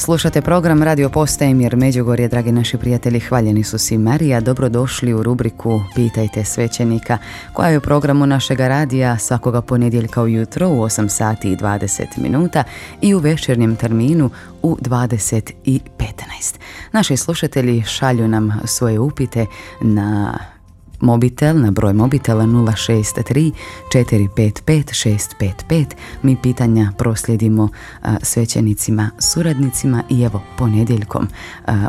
Slušate program Radio Postaje Mir Međugorje, dragi naši prijatelji, hvaljeni su si Marija. Dobrodošli u rubriku Pitajte svećenika, koja je u programu našega radija svakoga ponedjeljka ujutro u 8 sati i 20 minuta i u večernjem terminu u 20 i 15. Naši slušatelji šalju nam svoje upite na mobitel, na broj mobitela 063 455 655. Mi pitanja proslijedimo svećenicima, suradnicima i evo ponedjeljkom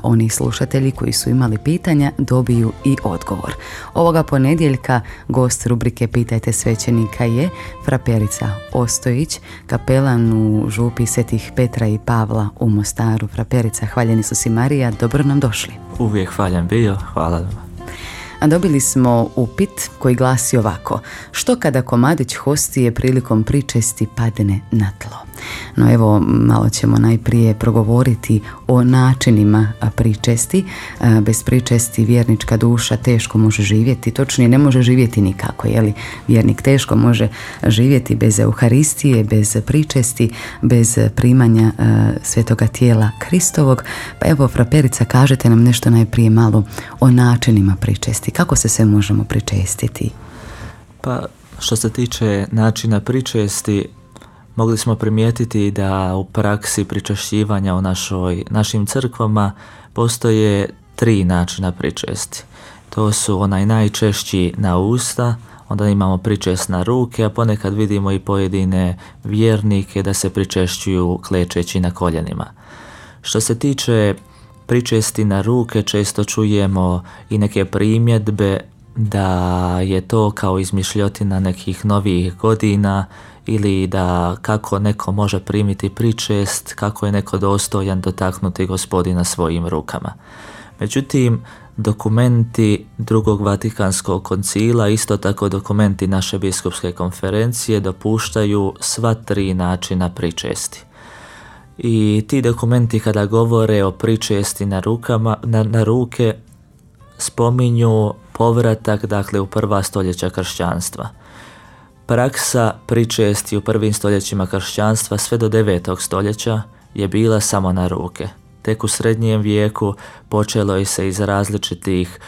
oni slušatelji koji su imali pitanja dobiju i odgovor. Ovoga ponedjeljka gost rubrike Pitajte svećenika je fraperica Ostojić, kapelan u župi Svetih Petra i Pavla u Mostaru. Fraperica, hvaljeni su si Marija, dobro nam došli. Uvijek hvaljen bio, hvala vam. A dobili smo upit koji glasi ovako: što kada komadić hostije prilikom pričesti padne na tlo? No evo, malo ćemo najprije progovoriti o načinima pričesti. Bez pričesti vjernička duša teško može živjeti, točnije ne može živjeti nikako, jeli? Vjernik teško može živjeti bez Euharistije, bez pričesti, bez primanja svetoga tijela Kristovog. Pa evo, fraperica, kažete nam nešto najprije malo o načinima pričesti. Kako se sve možemo pričestiti? Pa, što se tiče načina pričesti, mogli smo primijetiti da u praksi pričešćivanja u našim crkvama postoje 3 načina pričesti. To su onaj najčešći na usta, onda imamo pričest na ruke, a ponekad vidimo i pojedine vjernike da se pričešćuju klečeći na koljenima. Što se tiče pričesti na ruke, često čujemo i neke primjedbe da je to kao izmišljotina nekih novih godina ili da kako neko može primiti pričest, kako je neko dostojan dotaknuti Gospodina svojim rukama. Međutim, dokumenti Drugog Vatikanskog koncila, isto tako dokumenti naše biskupske konferencije dopuštaju sva 3 načina pričesti. I ti dokumenti kada govore o pričesti na ruke spominju povratak, dakle, u prva stoljeća kršćanstva. Praksa pričesti u prvim stoljećima kršćanstva sve do 9. stoljeća je bila samo na ruke. Tek u srednjem vijeku počelo je se iz različitih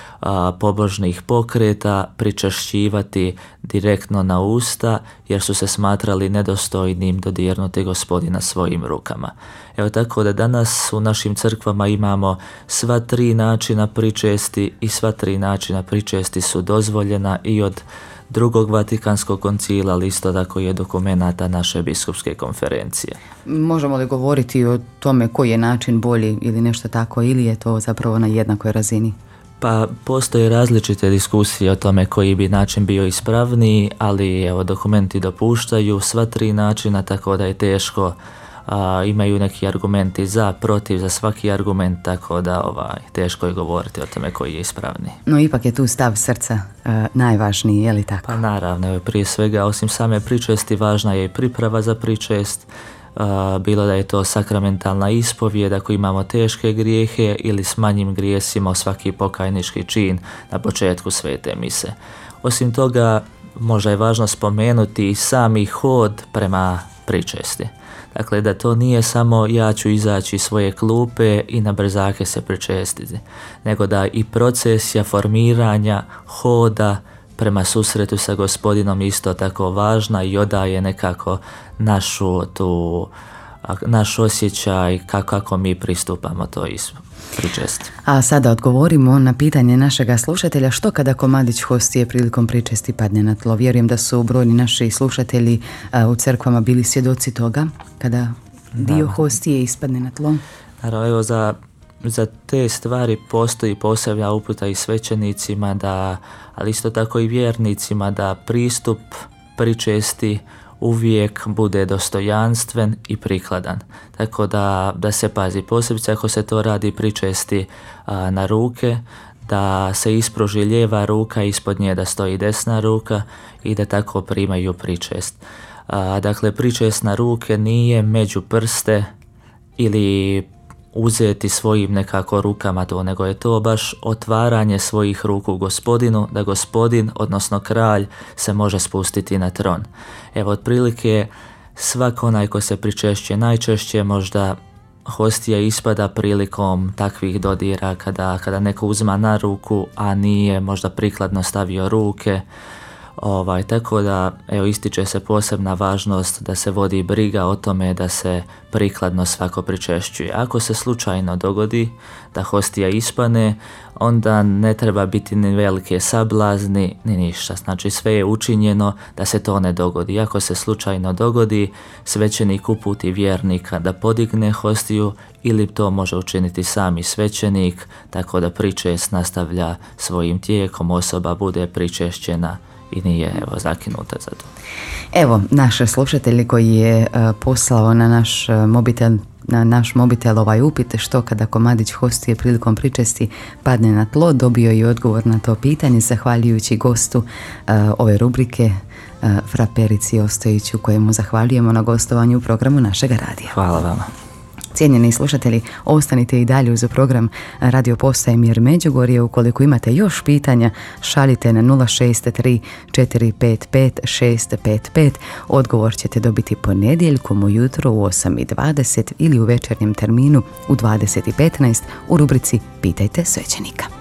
pobožnih pokreta pričešćivati direktno na usta, jer su se smatrali nedostojnim dodirnuti Gospodina svojim rukama. Evo, tako da danas u našim crkvama imamo sva 3 načina pričesti i sva 3 načina pričesti su dozvoljena i od Drugog Vatikanskog koncila, ali isto tako je dokumenata naše biskupske konferencije. Možemo li govoriti o tome koji je način bolji ili nešto tako, ili je to zapravo na jednakoj razini? Pa postoje različite diskusije o tome koji bi način bio ispravniji, ali evo, dokumenti dopuštaju sva 3 načina, tako da je teško, imaju neki argumenti za, protiv, za svaki argument, tako da teško je govoriti o tome koji je ispravniji. No ipak je tu stav srca najvažniji, je li tako? Pa naravno, prije svega, osim same pričesti, važna je i priprava za pričest, bilo da je to sakramentalna ispovijed ako imamo teške grijehe ili s manjim grijesima svaki pokajnički čin na početku svete mise. Osim toga, možda je važno spomenuti i sami hod prema pričesti. Dakle, da to nije samo ja ću izaći iz svoje klupe i na brzake se pričestiti, nego da i procesija formiranja hoda prema susretu sa Gospodinom isto tako važna i odaje nekako naš osjećaj kako mi pristupamo to pričesti. A sada odgovorimo na pitanje našega slušatelja: što kada komadić hostije prilikom pričesti padne na tlo? Vjerujem da su brojni naši slušatelji u crkvama bili svjedoci toga kada dio hostije ispadne na tlo. Naravno, evo, za te stvari postoji posebna uputa i svećenicima, ali isto tako i vjernicima, da pristup pričesti uvijek bude dostojanstven i prikladan. Tako da se pazi, posebice ako se to radi pričesti na ruke, da se ispruži lijeva ruka, ispod nje da stoji desna ruka i da tako primaju pričest. Dakle, pričest na ruke nije među prste ili uzeti svojim nekako rukama to, nego je to baš otvaranje svojih ruku Gospodinu, da Gospodin, odnosno kralj, se može spustiti na tron. Evo, otprilike svak onaj ko se pričešće najčešće možda hostija ispada prilikom takvih dodira kada neko uzima na ruku, a nije možda prikladno stavio ruke. Tako da ističe se posebna važnost da se vodi briga o tome da se prikladno svako pričešćuje. Ako se slučajno dogodi da hostija ispane, onda ne treba biti ni velike sablazni ni ništa. Znači sve je učinjeno da se to ne dogodi. Ako se slučajno dogodi, svećenik uputi vjernika da podigne hostiju ili to može učiniti sami svećenik, tako da pričest nastavlja svojim tijekom, osoba bude pričešćena i nije zakinuta za to. Evo, naš slušatelj koji je poslao na naš mobitel ovaj upit što kada komadić hostije prilikom pričesti padne na tlo, dobio je odgovor na to pitanje zahvaljujući gostu ove rubrike Fra Perici Ostojiću, kojemu zahvaljujemo na gostovanju u programu našega radija. Hvala vama. Cijenjeni slušatelji, ostanite i dalje uz program Radio Postaje Mir Međugorje. Ukoliko imate još pitanja, šaljite na 063 455 655. Odgovor ćete dobiti ponedjeljkom ujutro u 8:20 ili u večernjem terminu u 20:15 u rubrici Pitajte svećenika.